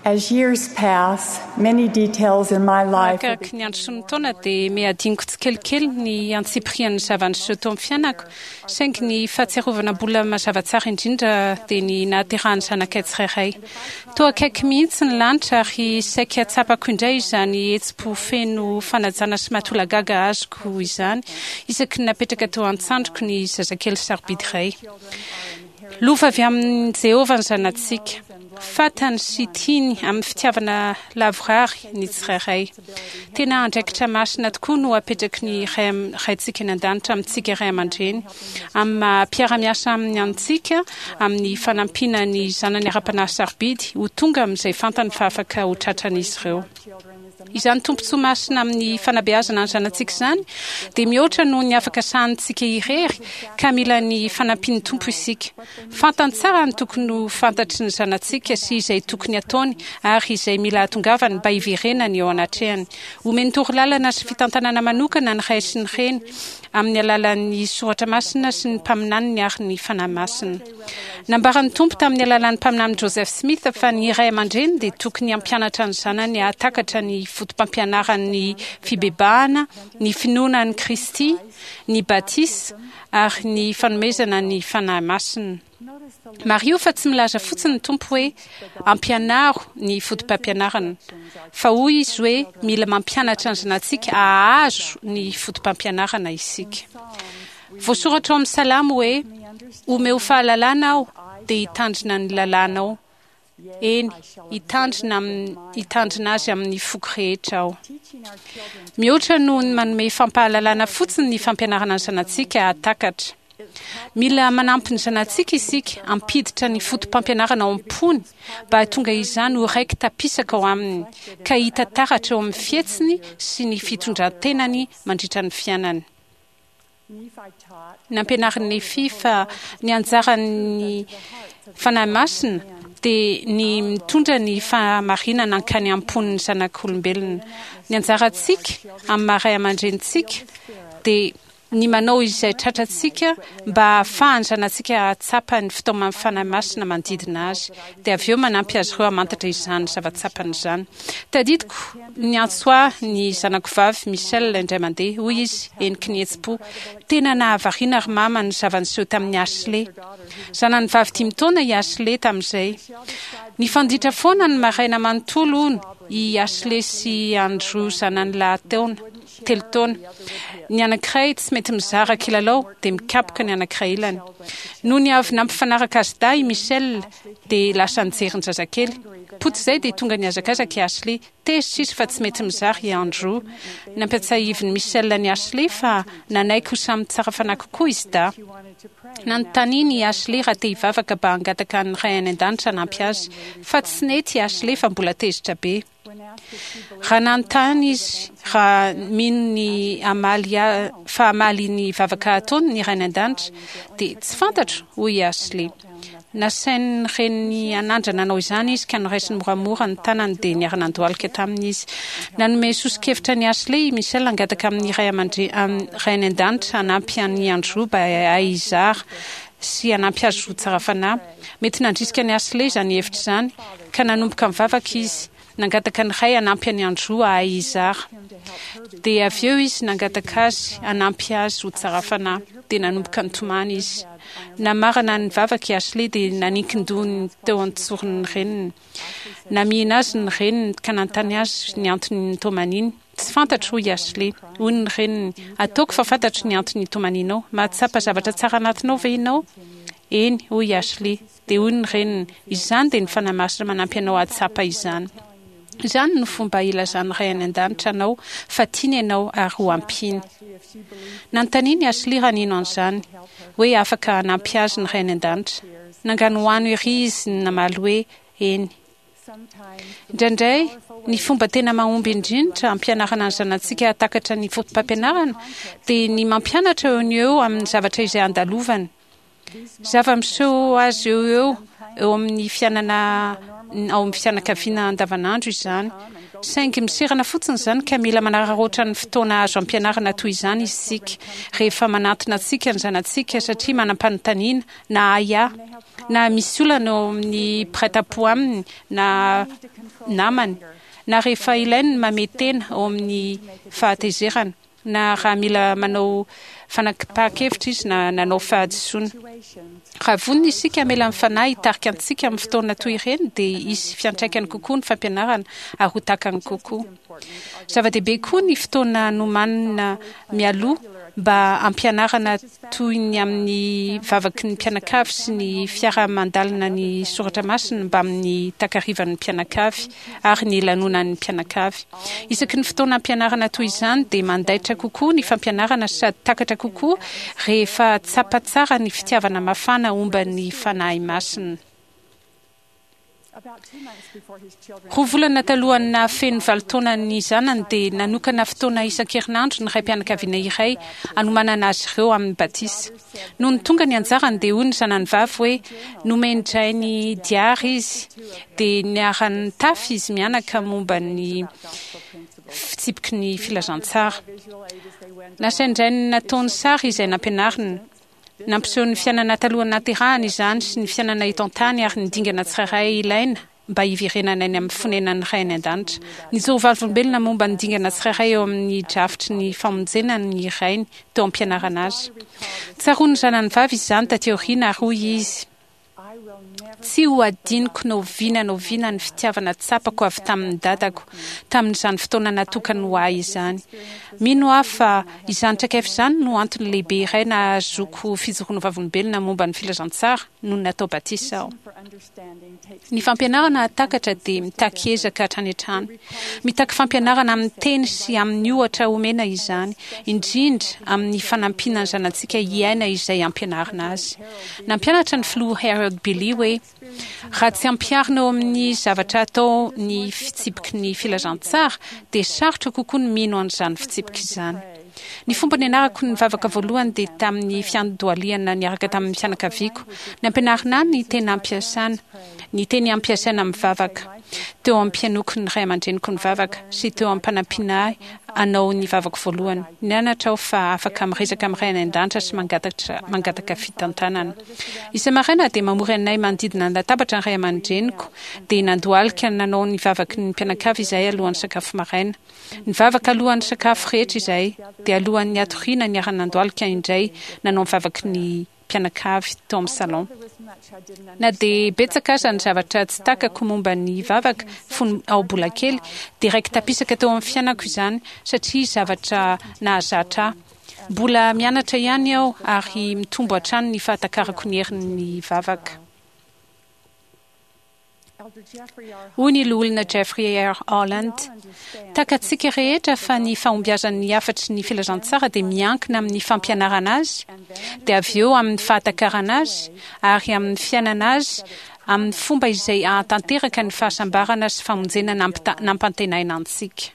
As years pass, many details in my life are Arakaraka ny andro sy ny taona dia mihadinoko tsikelikely ny antsipirian'ny zava-niseho teo amin'ny fiainako, saingy ny fahatsiarovana mbola mazava tsara indrindra dia ny nahaterahan'ny zanakay tsirairay. Toa akaiky mihitsy ny lanitra ary saika tsapako indray izany hetsi-po feno fanajana sy mahatolagaga azoko izany isaky ny napetraka teo an-tsandriko ny zazakely sarobidy iray. Lova avy amin'i Jehovah ny zanatsika. Fantany sy tiany amin'ny fitiavana lavorary ny tsirairay. Tena andraikitra masina tokoa no apetraky ny Raintsika any An-danitra amintsika ray aman-dreny, amin'ny maha mpiara-miasa aminy antsika, amin'ny fanampiana ny zanany ara-panahy sarobidy ho tonga amin'izay fantany fa afaka ho tratran'izy ireo. Izany tombontsoa masina amin'ny fanabeazana ny zanatsika izany dia mihoatra noho ny afaka sahanintsika irery ka mila ny fanampian'ny Tompo isika. Fantany tsara ny tokony ho fantatry ny zanatsika sy izay tokony hataony ary izay mila hahatongavany mba hiverenany eo anatrehany. Omeny torolalana sy fitantanana manokana ny ray sy ny reny amin'ny alalan'ny soratra masina sy ny mpaminaniny ary ny Fanahy Masina. Nambaran'ny Tompo tamin'ny alalan'ny Mpaminany Joseph Smith fa ny ray aman-dreny dia tokony hampianatra ny zanany hahatakatra ny fotopampianaran'ny fibebahana, ny finoana an'i Kristy, ny batisa, ary ny fanomezana ny Fanahy Masina. Mariho fa tsy milaza fotsiny ny Tompo hoe ampianaro ny fotopampianarana, fa hoy Izy hoe mila mampianatra ny zanatsika hahazo ny fotopampianarana isika. Voasoratra ao amin'ny Salamo hoe, Omeo fahalalana aho, dia hitandrina ny lalànao. Eny, hitandrina amin'ny, hitandrina azy amin'ny foko rehetra aho. Mihoatra noho ny manome fampahalalana fotsiny ny fampianarana ny zanatsika hahatakatra. Mila manampy ny zanatsika isika hampiditra ny fotopampianarana ao am-pony mba hahatonga izany ho raiki-tapisaka ao aminy, ka hita taratra eo amin'ny fihetsiny sy ny fitondran-tenany mandritra ny fiainany. Nampianarin'i Nefia fa ny anjaran'ny Fanahy Masina dia ny mitondra ny fahamarinana hankany am-pon'ny zanak'olombelona. Ny anjarantsika amin'ny maha ray aman-drenintsika dia ny manao izay tratrantsika mba hahafahan'ny zanatsika hahatsapa ny fitaoman'ny Fanahy Masina manodidina azy, dia avy eo manampy azy ireo hamantatra izany zava-tsapany izany. Tadidiko niantso ahy ny zanako vavy Michelle indray mandeha. Hoy izy, heniky ny hetsi-po, Tena nahavariana ry mama ny zava-niseho tamin'i Ashley. Zanany vavy dimy taona i Ashley tamin'izay. Nifanditra foana ny maraina manontolo, hono, i Ashley sy Andrew zanany lahy taona, telo taona. Ny anankiray tsy mety mizara kilalao dia mikapoka ny anankiray ilany. Nony avy nampifanaraka azy dahy i Michelle, dia lasa nijery ny zazakely. Potsy izay dia tonga nihazakazaka i Ashley. Tezitra izy fa tsy mety mizara i Andrew. Nampiatsahivin'i Michelle an'i Ashley fa nanaiky ho samy tsara fanahy kokoa izy dahy. Nanontaniany i Ashley raha te hivavaka mba hangataka an'ny Ray any An-danitra hanampy azy. Fa tsy nety i Ashley fa mbola tezitra be. Raha nanontany izy raha mino ny hamaly fa hamaly ny vavaka ataony ny Ray any An-danitra, dia tsy fantatro, hoy i Ashley. Nasain'ny reniny hanandrana hanao izany izy ka noraisiny moramora ny tanany dia niara-nandohalika taminy izy. Nanome soso-kevitra an'i Ashley i Michelle hangataka amin'ny Ray aman-dre Ray any An-danitra hanampy an'i Andrew mba hahay hizara sy hanampy azy ho tsara fanahy. Mety nandrisika an'i Ashley izany hevitra izany ka nanomboka nivavaka izy. Nangataka ny Ray hanampy an'i Andrew hahay hizara. Dia avy eo izy nangataka azy hanampy azy ho tsara fanahy. Dia nanomboka nitomany izy. Namarana ny vavaka i Ashley dia naninkin-doha ny teo an-tsoron'ny reniny. Namihina azy ny reniny ka nanontany azy ny antony nitomaniany. Tsy fantatro, hoy i Ashley. Hoy ny reniny, Ataoko fa fantatro ny antony itomanianao. Mahatsapa zavatra tsara anatinao ve ianao? Eny, hoy i Ashley. Dia hoy ny reniny, Izany dia ny Fanahy Masina manampy anao hahatsapa izany. Izany no fomba ilazan'ny Ray any An-danitra anao fa tiany ianao ary ho ampiany. Nanontaniany i Ashley raha nino an'izany, hoe afaka hanampy azy ny Ray any An-danitra. Nanganohano ery izy namaly hoe, Eny. Indraindray, ny fomba tena mahomby indrindra hampianarana ny zanatsika hahatakatra ny fotopampianarana dia ny mampianatra eo no eo amin'ny zavatra izay andalovany. Zava-miseho azy eo ho eo eo amin'ny fiainana ao amin'ny fianakaviana andavanandro izany. Saingy miserana fotsiny izany ka mila manararaotra ny fotoana azo ampianarana toy izany isika rehefa manantona antsika ny zanatsika satria manam-panontaniana na ahiahy na misy olana eo amin'ny mpiray tampo aminy na namany na rehefa ilainy ny mamehy tena ao amin'ny fahatezerana na raha mila manao fanapahan-kevitra izy na nanao fahadisoana. Raha vonona isika hamela ny Fanahy hitarika antsika amin'ny fotoana toy ireny dia hisy fiantraikany kokoa ny fampianarana ary ho takany kokoa. Zava-dehibe koa ny fotoana nomanina mialoha mba hampianarana toy ny amin'ny vavaky ny mpianakavy sy ny fiaraha-mandalina ny soratra masina mbamin'ny takarivan'ny mpianakavy ary ny lanonan'ny mpianakavy. Isaky ny fotoana ampianarana toy izany dia mandaitra kokoa ny fampianarana sady takatra kokoa rehefa tsapa tsara ny fitiavana mafana omban'ny Fanahy Masina. Roa volana talohan'ny nahafeno valo taona ny zanany dia nanokana fotoana isan-kerinandro ny raim-pianakaviana iray hanomanana azy ireo amin'ny batisa. Nony tonga ny anjarany dia hoy ny zanany vavy hoe nomen-drainy diary izy dia niara-nitafy izy mianaka momba ny fitsipiky ny filazantsara. Nasain-drainy nataony sary izay nampianariny. Nampiseho ny fiainana talohan'ny nahaterahany izany sy ny fiainana eto an-tany ary ny dingana tsirairay ilaina mba hiverenana any amin'ny fonenan'ny Ray any An-danitra. Nijoro vavolombelona momba ny dingana tsirairay eo amin'ny drafitry ny famonjena ny rainy teo am-pianarana azy. Tsaroan'ny zanany vavy izany taty aoriana ary hoy izy, Tsy ho adinoko na oviana na oviana ny fitiavana tsapako avy tamin'ny dadako, tamin'izany fotoana natokany ho ahy izany. Mino aho fa izany traikefa izany no antony lehibe iray nahazoako fijoroana vavolombelona momba ny filazantsara nony natao batisa aho. Ny fampianarana hahatakatra dia mitaky ezaka hatrany hatrany. Mitaky fampianarana amin'ny teny sy amin'ny ohatra omena izany, indrindra amin'ny fanampiana ny zanatsika hiaina izay ampianarina azy. Nampianatra ny Filoha Harold Billy hoe, Raha tsy ampiharina eo amin'ny zavatra atao ny fitsipiky ny filazantsara, dia sarotra kokoa ny mino an'izany fitsipika izany. Ny fomba nianarako nivavaka voalohany dia tamin'ny fiandohalihana niaraka tamin'ny fianakaviako. Nampianarina ahy ny tena ampiasana, ny teny ampiasaina amin'ny vavaka, teo am-pihainoako ny ray aman-dreniko nivavaka sy teo am-panampiana ahy hanao ny vavako voalohany. Nianatra aho fa afaka miresaka amin'ny Ray any An-danitra sy mangataka fitantanana. Isa-maraina dia mamory anay manodidina ny latabatra ny ray aman-dreniko, dia nandohalika nanao ny vavaky ny mpianakavy izahay alohan'ny sakafo maraina. Nivavaka alohan'ny sakafo rehetra izahay, dia alohan'ny hatoriana niara-nandohalika indray nanao ny vavaky ny mpianakavy tao amin'ny salon. Na dia betsaka aza ny zavatra tsy takako momba ny vavaka fony aho mbola kely, dia raiki-tapisaka teo amin'ny fiainako izany satria zavatra nahazatra ahy. Mbola mianatra ihany aho ary mitombo hatrany ny fahatakarako ny herin'ny vavaka. Hoy ny Loholona Jeffrey R. Holland, Takatsika rehetra fa ny fahombiazan'ny hafatry ny filazantsara dia miankina amin'ny fampianarana azy, dia avy eo amin'ny fahatakarana azy, ary amin'ny fiainana azy amin'ny fomba izay hahatanteraka ny fahasambarana sy famonjena nampantenaina antsika.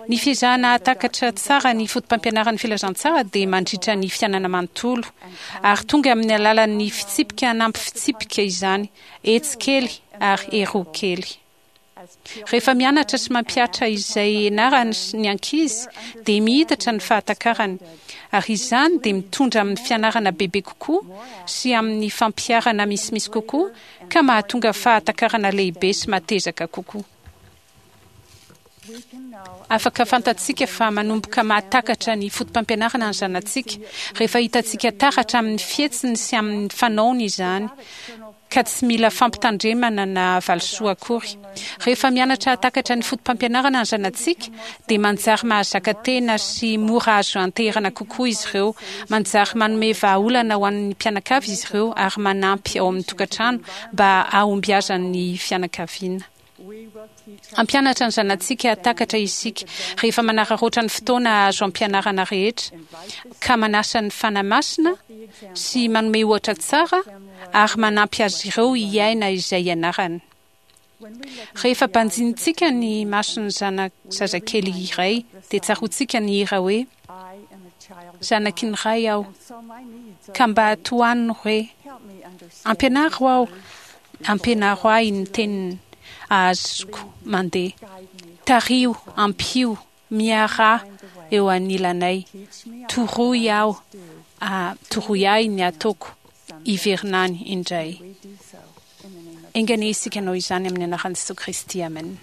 Ny fiezahana hahatakatra tsara ny fotopampianaran'ny filazantsara dia mandritra ny fiainana manontolo, ary tonga amin'ny alalan'ny fitsipika anampy fitsipika izany, etsy kely ary eroa kely. Rehefa mianatra sy mampihatra izay ianarany ny ankizy dia miitatra ny fahatakarany, ary izany dia mitondra amin'ny fianarana bebe kokoa sy amin'ny fampiharana misimisy kokoa ka mahatonga fahatakarana lehibe sy matezaka kokoa. Afaka fantatsika fa manomboka mahatakatra ny fotopampianarana ny zanatsika rehefa hitantsika taratra amin'ny fihetsiny sy amin'ny fanaony izany, ka tsy mila fampitandremana na valisoa akory. Rehefa mianatra hahatakatra ny fotopampianarana ny zanatsika, dia manjary mahazaka tena sy mora azo anteherana kokoa izy ireo, manjary manome vahaolana ho an'ny mpianakavy izy ireo ary manampy ao amin'ny tokantrano mba hahombiazan'ny fianakaviana. Hampianatra ny zanatsika hahatakatra isika rehefa manararaotra ny fotoana azo ampianarana rehetra, ka manasa ny Fanahy Masina sy manome ohatra tsara ary manampy azy ireo hiaina izay ianarany. Rehefa banjinintsika ny mason'ny zana zazakely iray dia tsaroantsika ny hira hoe, Zanaky ny Ray aho, ka mba tohano re. Ampianaro aho Ampianaro ahy ny teniny. ahazoko mandeha. Tariho, ampio, miaraha eo anilanay. Toroy aho, toroy ahy ny ataoko hiverina any indray. Enga anie isika hanao izany amin'ny anaran'i Jesoa Kristy. Amen.